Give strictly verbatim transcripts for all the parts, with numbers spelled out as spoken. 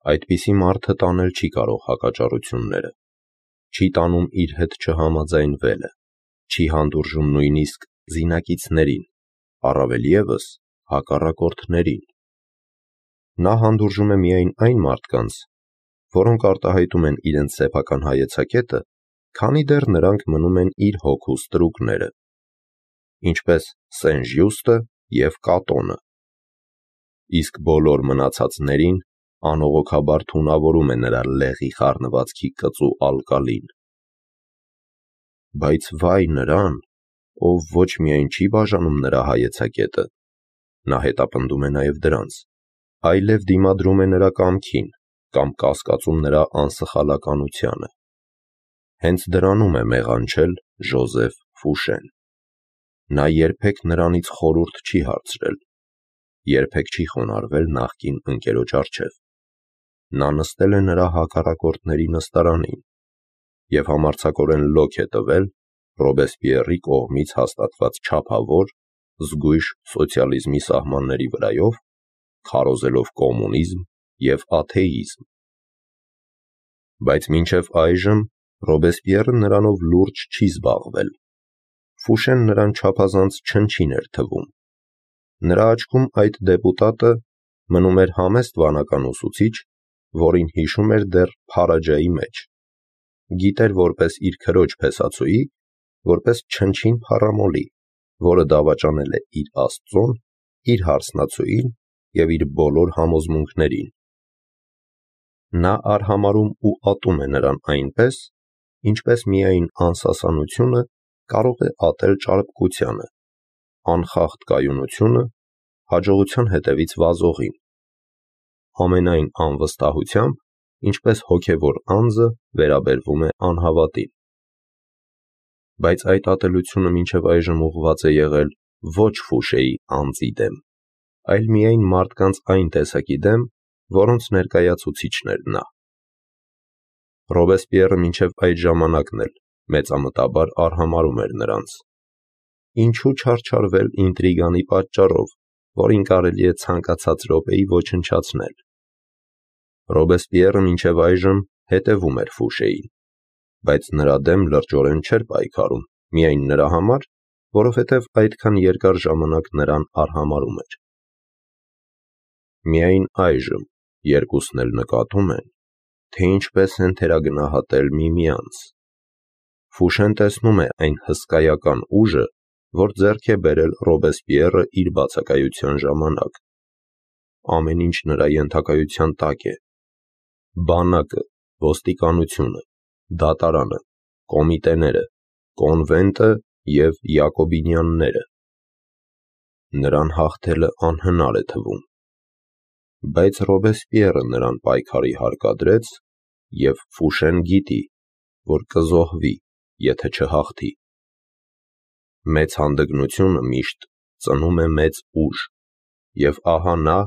Այդպիսի մարդը տանել չի կարող հակաճառությունները, չի տանում իր հետ չհամաձայնվելը, չի հանդուրժում նույնիսկ զինակիցներին, առավել ևս հակառակորդներին։ Նա հանդուրժում է միայն այն մարդկանց, որոնք արտահայտում են իրենց սեփական հայեցակետը, քանի դեռ նրանք մնում են իր հոգու ստրուկները, ինչպես Սեն-Ժյուստը և Կատոնը, իսկ բոլոր մնացածներին անողոքաբար թունավորում է նրա լեղի խառնվածքի կծու ալկալին։ Բայց վայ նրան, ով ոչ միայն չի բաժանում նրա հայեցակետը, նա հետապնդում է նաև դրանց, այլև դիմադրում է նրա կամքին կամ կասկածում նրա անսխալականությանը։ Հենց դրանում է մեղանչել Ժոզեֆ Ֆուշեն։ Նա երբեք նրանից խորհուրդ չի հարցրել, երբեք չի խոնարհվել նախկին ընկերոջ առջև։ Նա նստել է նրա հակառակորդների նստարանին և համարձակորեն լոկ է տվել Ռոբեսպիեռի կողմից հաստատված չափավոր, զգույշ սոցիալիզմի սահմանների վրայով, քարոզելով կոմունիզմ և աթեիզմ։ Բայց մինչև այժմ Ռոբեսպիեռը նրանով լուրջ չի զբաղվել։ Ֆուշեն նրան չափազանց չնչին էր թվում։ Նրա աչքում այդ դեպուտատը մնում էր համեստ վանական ուսուցիչ, որին հիշում էր դեռ Փարաջայի մեջ, գիտեր որպես իր քրոջ փեսացուի, որպես չնչին փառամոլի, որը դավաճանել է իր աստծուն, իր հարսնացուին և իր բոլոր համոզմունքներին։ Նա արհամարհում ու ատում է նրան այնպես, ինչպես միայն անսասանությունը կարող է ատել ճարպկությանը, անխախտ կայունությունը հաջողության հետևից վազողին, ամենայն անվստահությամբ, ինչպես հոգևոր անձը վերաբերվում է անհավատին։ Բայց այդ ատելությունը մինչև այժմ ուղղված է եղել ոչ Ֆուշեի անձի դեմ, այլ միայն մարդկանց այն տեսակի դեմ, որոնց ներկայացուցիչն էր նա։ Ռոբեսպիեռը մինչև այդ ժամանակն էլ մեծամտաբար արհամարհում էր նրանց։ Ինչու չարչարվել ինտրիգանի պատճառով, որին կարելի է ցանկացած րոպեի ոչնչացնել։ Ռոբեսպիեռը մինչև այժմ հետևում էր Ֆուշեին, բայց նրա դեմ լրջորեն չէր պայքարում միայն նրա համար, որովհետև այդքան երկար ժամանակ նրան արհամարհում էր։ Միայն այժմ երկուսն էլ նկատում են, թե ինչպես են թերագնահատել միմյանց։ Ֆուշեն տեսնում է այն հսկայական ուժը, որ ձեռք է բերել Ռոբեսպիեռը իր բացակայության ժամանակ։ Ամեն ինչ նրա ենթակայության տակ է։ Բանակը, ոստիկանությունը, դատարանը, կոմիտեները, կոնվենտը և յակոբինյանները։ Նրան հաղթելը անհնար է թվում։ Բայց Ռոբեսպիեռը նրան պայքարի հարկադրեց, և Ֆուշեն գիտի, որ կզոհվի, եթե չհաղթի։ Մեծ հանդգնությունը միշտ ծնում է մեծ ուժ, և ահա նա,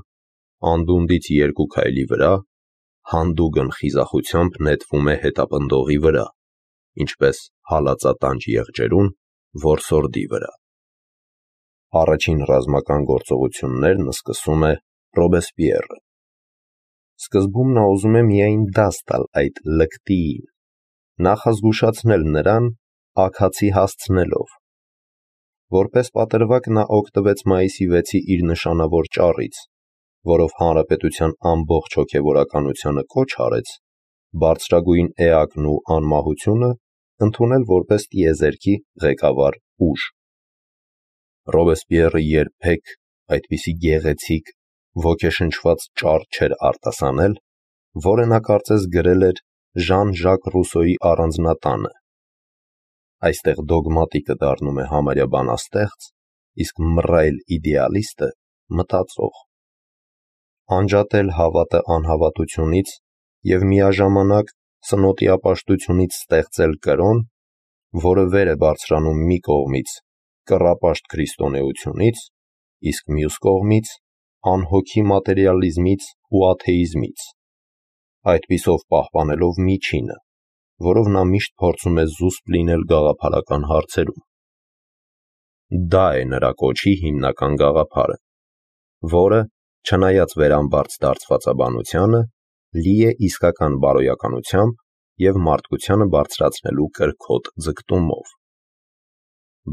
անդունդից երկու քայլի վրա, հանդուգն խիզախությամբ նետվում է հետապնդողի վրա, ինչպես հալածատանջ եղջերուն որսորդի վրա։ Առաջին ռազմական գործողություններն սկսում է Ռոբեսպիեռը։ Սկզբում նա ուզում է միայն դաս տալ այդ լկտիին, նախազգուշացնել նրան աքացի հասցնելով։ Որպես պատրվակ նա օգտվեց մայիսի վեցի իր նշանավոր ճառից, որով հանրապետության ամբողջ հոգևորականությանը կոչ արեց բարձրագույն էակն ու անմահությունը ընդունել որպես տիեզերքի ղեկավար ուժ։ Ռոբեսպիեռը երբեք այդպիսի գեղեցիկ, ոգեշնչված ճառ չէր արտասանել, որը նա կարծես գրել էր Ժան-Ժակ Ռուսոյի առանձնատանը։ Այստեղ դոգմատիկը դառնում է համարյա բանաստեղծ, իսկ մռայլ իդեալիստը մտածող։ Անջատել հավատը անհավատությունից և միաժամանակ սնոտիապաշտությունից ստեղծել կրոն, որը վեր է բարձրանում մի կողմից կռապաշտ քրիստոնեությունից, իսկ մյուս կողմից անհոգի մատերիալիզմից ու աթեիզմից, այդպիսով պահպանելով միջինը, որով նա միշտ փորձում է զուսպ լինել գաղափարական հարցերում։ Դա է նրա կոչի հիմնական գաղափարը, որը, չնայած վերամբարձ դարձվածաբանությանը, լի է իսկական բարոյականությամբ և մարդկությանը բարձրացնելու կրքոտ ձգտումով։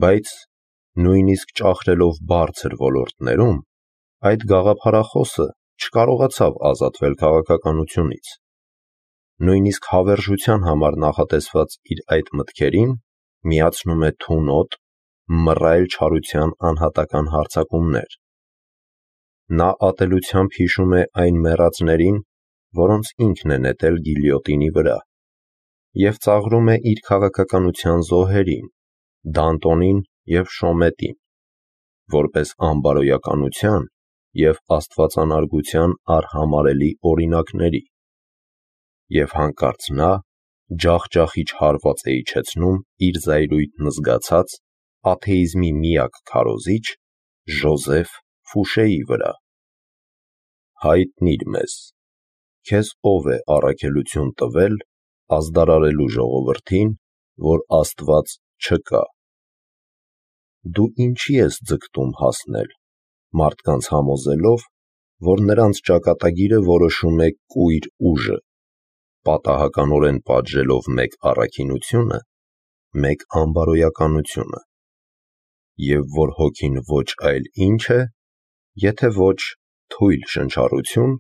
Բայց նույնիսկ ճախրելով բարձր ոլորտներում, այդ գաղափարախոսը չկարողացավ ազատվել քաղաքականությունից։ Նույնիսկ հավերժության համար նախատեսված իր այդ մտքերին միացնում է թունոտ, մռայլ չարության անհատական հարձակումներ։ Նա ատելությամբ հիշում է այն մեռածներին, որոնց ինքն է նետել գիլյոտինի վրա, և ծաղրում է իր քաղաքականության զոհերին՝ Դանտոնին և Շոմետին, որպես անբարոյականության և աստվածանարգության արհամարհելի օրինակների, և հանկարծ նա ջախջախիչ հարված է իջեցնում իր զայրույթն զգացած աթեիզմի միակ քարոզիչ Ժոզեֆ Ֆուշեի վրա։ Հայտնի՛ր մեզ, քեզ ով է առաքելություն տվել ազդարարելու ժողովրդին, որ Աստված չկա։ Դու ինչի՞ ես ձգտում հասնել, մարդկանց համոզելով, որ նրանց ճակատագիրը որոշում է կույր ուժը, պատահականորեն պատժելով մեկ առաքինությունը, մեկ անբարոյականությունը, և որ հոգին ոչ այլ ինչ է, եթե ոչ թույլ շնչառություն,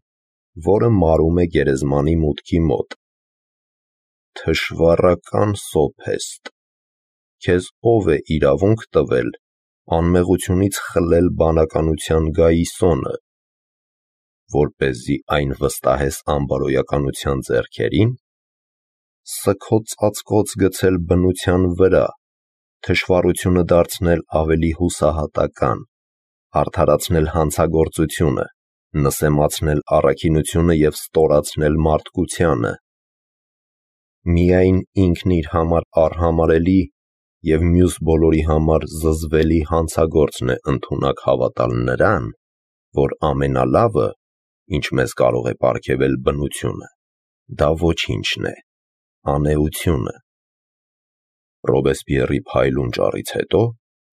որը մարում է գերեզմանի մուտքի մոտ։ Թշվառական սոփեստ, քեզ ով է իրավունք տվել անմեղությունից խլել բանականության գայիսոնը, որպեսզի այն վստահես անբարոյականության ձեռքերին, սգո ծածկոց գցել բնության վրա, թշվառությունը դարձնել ավելի հուսահատական, արդարացնել հանցագործությունը, նսեմացնել առաքինությունը և ստորացնել մարդկությանը։ Միայն ինքն իր համար արհամարհելի և մյուս բոլորի համար զզվելի հանցագործն է ընդունակ հավատալ նրան, որ ամենալավը, ինչ մեզ կարող է պարգևել բնությունը, դա ոչինչն է, անէությունը։ Ռոբեսպիեռի փայլուն ճառից հետո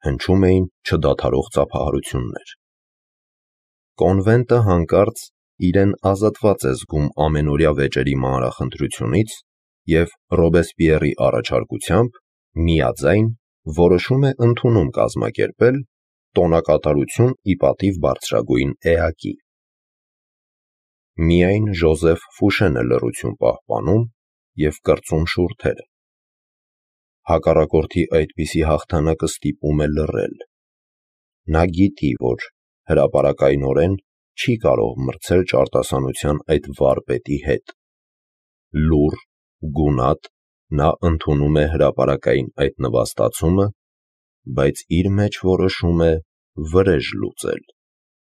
հնչում էին չդադարող ծափահարություններ։ Կոնվենտը հանկարծ իրեն ազատված է զգում ամենօրյա վեճերի մանրախնդրությունից և Ռոբեսպիեռի առաջարկությամբ միաձայն որոշում է ընդունում կազմակերպել տոնակատարություն ի պատիվ բարձրագույն էակի։ Միայն Ժոզեֆ Ֆուշեն է լռություն պահպանում և կրծում շուրթերը։ Հակառակորդի այդպիսի հաղթանակը ստիպում է լռել։ Նա գիտի, որ հրապարակայնորեն չի կարող մրցել ճարտասանության այդ վարպետի հետ։ Լուռ, գունատ, նա ընդունում է հրապարակային այդ նվաստացումը, բայց իր մեջ որոշում է վրեժ լուծել,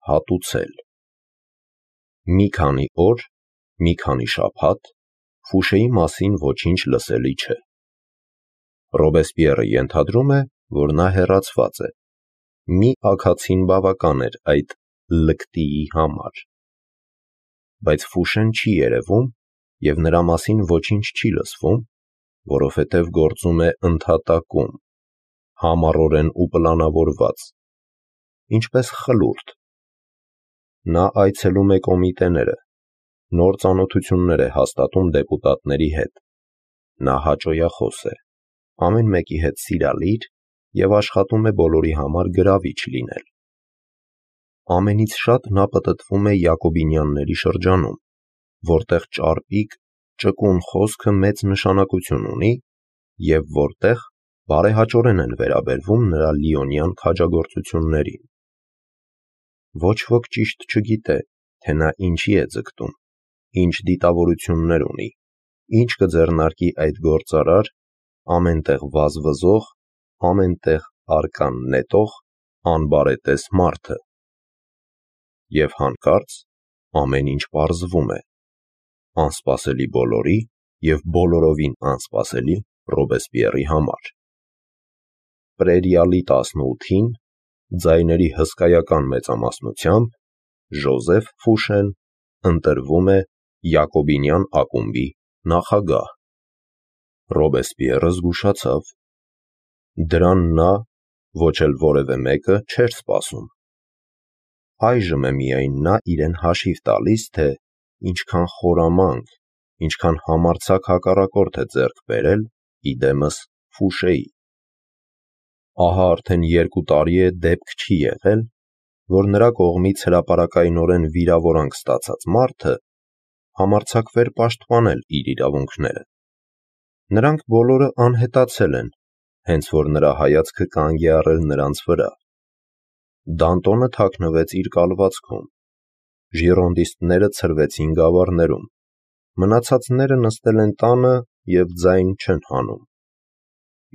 հատուցել։ Մի քանի օր, մի քանի շաբաթ Ֆուշեի մասին ոչինչ լսելի չէ։ Ռոբեսպիեռը ենթադրում է, որ նա հեռացված է։ Մի աքացին բավական էր այդ լկտիի համար։ Բայց Ֆուշեն չի երևում և նրա մասին ոչինչ չի լսվում, որովհետև գործում է ընդհատակում, համառորեն ու պլանավորված, ինչպես խլուրդ։ Նա այցելում է կոմիտեները, նոր ծանոթություններ է հաստատում դեպուտատների հետ։ Նա հաճոյախոս է, ամեն մեկի հետ սիրալիր և աշխատում է բոլորի համար գրավիչ լինել։ Ամենից շատ նա պտտվում է Յակոբինյանների շրջանում, որտեղ ճարպիկ, ճկուն խոսքը մեծ նշանակություն ունի և որտեղ բարեհաճորեն են վերաբերվում նրա լիոնյան քաջագործություններին։ Ոչ ոք ճիշտ չգիտե, թե նա ինչի է ձգտում, ինչ դիտավորություններ ունի, ինչ կձեռնարկի այդ գործարար, ամեն տեղ վազվզող, ամեն տեղ արկան նետող, անբարետես մարդը։ Եվ հանկարծ ամեն ինչ պարզվում է, անսպասելի բոլորի և բոլորովին անսպասելի Ռոբեսպիեռի համար։ Պրերիալի տասնութին, ձայների հսկայական մեծամասնությամբ, Ժոզեֆ Ֆուշեն ընտրվում է Յակոբինյան ակումբի նախագահ։ Ռոբեսպիեռը զգուշացավ։ Դրան նա, ոչ էլ որևէ մեկը, չէր սպասում։ Այժմ է միայն նա իրեն հաշիվ տալիս, թե ինչքան խորամանկ, ինչքան համարձակ հակառակորդ է ձեռք բերել իդեմս Ֆուշեի։ Ահա արդեն երկու տարի է դեպք չի եղել, որ նրա կողմից հրապարակայնորեն վիրավորանք ստացած մարդը համարձակվեր պաշտպանել իր իրավունքները։ Նրանք բոլորը անհետացել են, հենց որ նրա հայացքը կանգ է առել նրանց վրա։ Դանտոնը թաքնվեց իր կալվածքում, ժիրոնդիստները ցրվեցին գավառներում, մնացածները նստել են տանը և ձայն չեն հանում։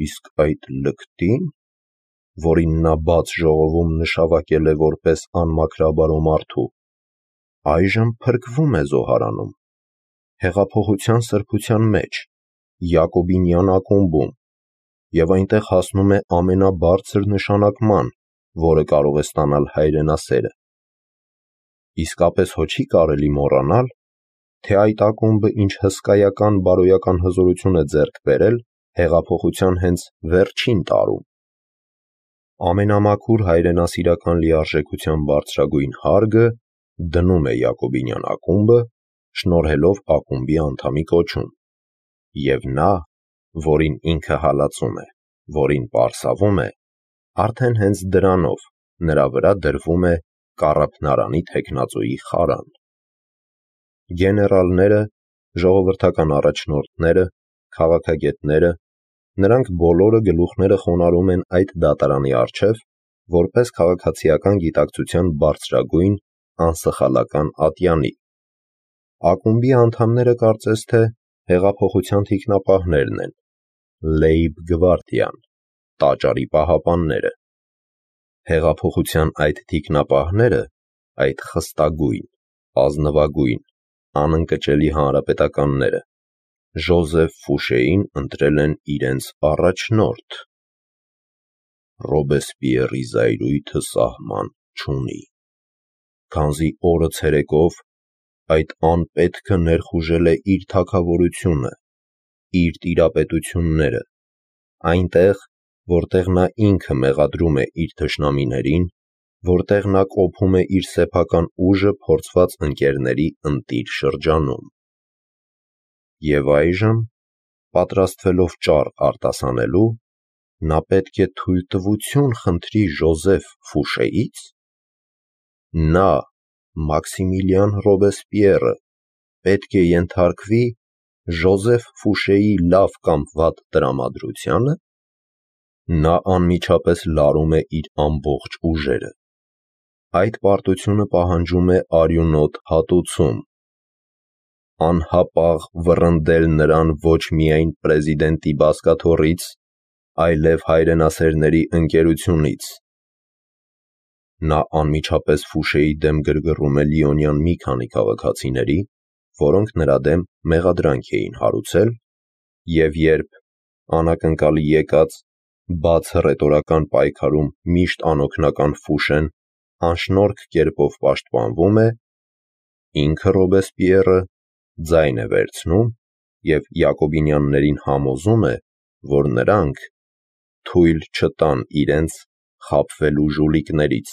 Իսկ այդ լկտի՞ն, որին նա բաց ժողովում նշավակել է որպես անմաքրաբարո մարդու, այժմ փրկվում է զոհարանում, հեղափոխության սրբության մեջ, Յակոբինյան ակումբում, և այնտեղ հասնում է ամենաբարձր նշանակման, որը կարող է ստանալ հայրենասերը։ Իսկապես հո չի կարելի մոռանալ, թե այդ ակումբը ինչ հսկայական բարոյական հզորություն է ձեռք բերել հեղափոխության հենց վերջին տարում։ Ամենամաքուր հայրենասիրական լիարժեքության բարձրագույն հարգը դնում է Յակոբինյան ակումբը, շնորհելով ակումբի անդամի կոչում, և նա, որին ինքը հալածում է, որին պարսավում է, արդեն հենց դրանով նրա վրա դրվում է կառափնարանի թեկնածուի խարան։ Գեներալները, ժողովրդական առաջնորդները, քաղաքագետները, նրանք բոլորը գլուխները խոնարհում են այդ դատարանի առջև, որպես քաղաքացիական գիտակցության բարձրագույն, անսխալական ատյանի։ Ակումբի անդամները կարծես թե հեղափոխության թիկնապահներն են, լեյբ-գվարդիան, տաճարի պահապանները։ Հեղափոխության այդ թիկնապահները, այդ խստագույն, ազնվագույն, անընկճելի հանրապետականները, Ժոզեֆ Ֆուշեին ընտրել են իրենց առաջնորդ։ Ռոբեսպիերի զայրույթը սահման չունի, քանզի օրը ցերեկով այդ անպետքը ներխուժել է իր թագավորությունը, իր տիրապետությունները, այնտեղ, որտեղ նա ինքը մեղադրում է իր թշնամիներին, որտեղ նա կոփում է իր սեփական ուժը փորձված ընկերների ընտիր շրջանում։ Եվ այժմ, պատրաստվելով ճառ արտասանելու, նա պետք է թույլտվություն խնդրի Ժոզեֆ Ֆուշեից։ Նա, Մաքսիմիլիան Ռոբեսպիերը, պետք է ենթարկվի Ժոզեֆ Ֆուշեի լավ կամ վատ տրամադրությանը։ Նա անմիջապես լարում է իր ամբողջ ուժերը։ Այդ պարտությունը պահանջում է արյունոտ հատուցում, անհապաղ վռնդել նրան ոչ միայն պրեզիդենտի բազկաթոռից, այլև հայրենասերների ընկերությունից։ Նա անմիջապես Ֆուշեի դեմ գրգռում է Լիոնյան մի քանի քաղաքացիների, որոնք նրա դեմ մեղադրանք էին հարուցել, և երբ, անակնկալի եկած, բաց հռետորական պայքարում միշտ անօգնական Ֆուշեն անշնորհք կերպով պաշտպանվում է, ինքը Ռոբեսպիերը ձայն է վերցնում և յակոբինյաններին համոզում է, որ նրանք թույլ չտան իրենց խաբվելու ժուլիկներից։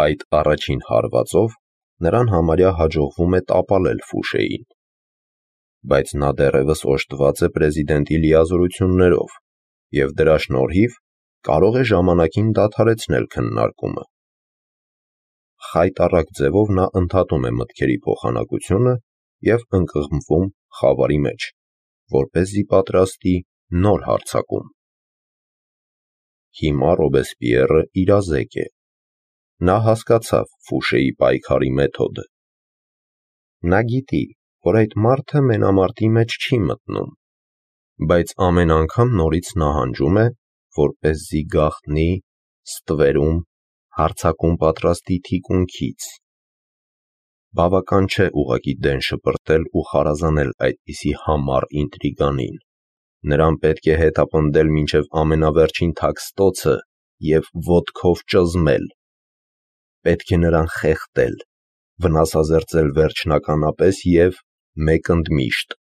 Այդ առաջին հարվածով նրան համարյա հաջողվում է տապալել Ֆուշեին, բայց նա դեռևս օժտված է պրեզիդենտի լիազորություններով և դրա շնորհիվ կարող է ժամանակին դադարեցնել քննարկումը։ Խայտառակ ձևով նա ընդհատում է մտքերի փոխանակությունը և ընկղմվում խավարի մեջ, որպեսզի պատրաստի նոր հարձակում։ Հիմա Ռոբեսպիերը իրազեկ է։ Նա հասկացավ Ֆուշեի պայքարի մեթոդը։ Նա գիտի, որ այդ մարդը մենամարտի մեջ չի մտնում, բայց ամեն անգամ նորից նահանջում է, որպեսզի գաղտնի, ստվերում, հարձակում պատրաստի թիկունքից։ Բավական չէ ուղղակի դեն շպրտել ու խարազանել այդպիսի համառ ինտրիգանին։ Նրան պետք է հետապնդել մինչև ամենավերջին թաքստոցը և ոտքով ճզմել։ Պետք է նրան խեղդել, վնասազերծել վերջնականապես և մեկընդմիշտ։